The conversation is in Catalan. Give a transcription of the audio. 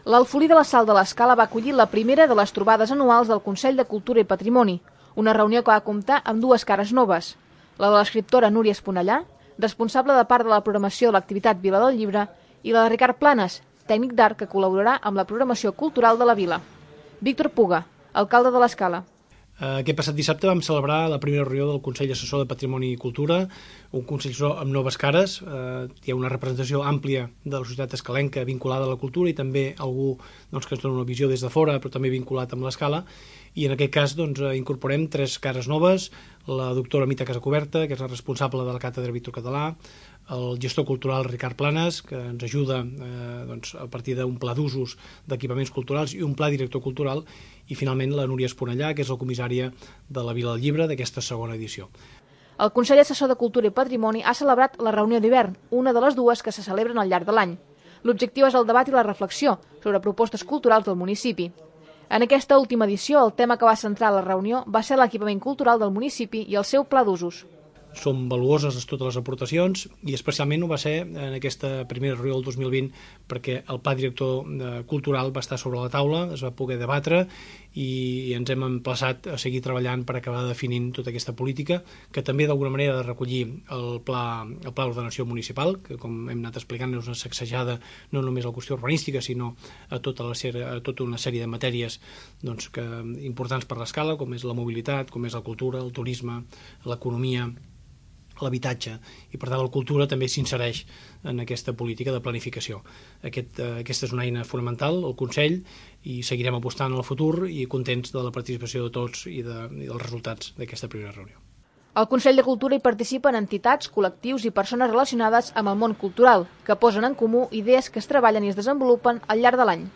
L'Alfolí de la Sal de l'Escala va acollir la primera de les trobades anuals del Consell de Cultura i Patrimoni, una reunió que va comptar amb dues cares noves, la de l'escriptora Núria Esponellà, responsable de part de la programació de l'activitat Vila del Llibre, i la de Ricard Planes, tècnic d'art que col·laborarà amb la programació cultural de la vila. Víctor Puga, alcalde de l'Escala. Aquest passat dissabte vam celebrar la primera reunió del Consell Assessor de Patrimoni i Cultura, un Consell Assessor amb noves cares. Hi ha una representació àmplia de la societat escalenca vinculada a la cultura i també algú que ens dona una visió des de fora, però també vinculat amb l'Escala. I en aquest cas incorporem 3 cares noves, la doctora Mita Casacoberta, que és la responsable de la Càtedra Víctor Català, el gestor cultural Ricard Planes, que ens ajuda a partir d'un pla d'usos d'equipaments culturals i un pla director cultural, i finalment la Núria Esponellà, que és la comissària de la Vila del Llibre d'aquesta segona edició. El Consell Assessor de Cultura i Patrimoni ha celebrat la reunió d'hivern, una de les dues que se celebren al llarg de l'any. L'objectiu és el debat i la reflexió sobre propostes culturals del municipi. En aquesta última edició, el tema que va centrar la reunió va ser l'equipament cultural del municipi i el seu pla d'usos. Són valuoses totes les aportacions i especialment ho va ser en aquesta primera reunió del 2020 perquè el pla director cultural va estar sobre la taula, es va poder debatre i ens hem emplaçat a seguir treballant per acabar definint tota aquesta política que també d'alguna manera ha de recollir el pla d'ordenació municipal, que com hem anat explicant és una sacsejada no només a la qüestió urbanística sinó a tota una sèrie de matèries importants per l'Escala, com és la mobilitat, com és la cultura, el turisme, l'economia, l'habitatge, i per tant la cultura també s'insereix en aquesta política de planificació. Aquesta és una eina fonamental, el Consell, i seguirem apostant en el futur i contents de la participació de tots i dels resultats d'aquesta primera reunió. Al Consell de Cultura hi participen entitats, col·lectius i persones relacionades amb el món cultural, que posen en comú idees que es treballen i es desenvolupen al llarg de l'any.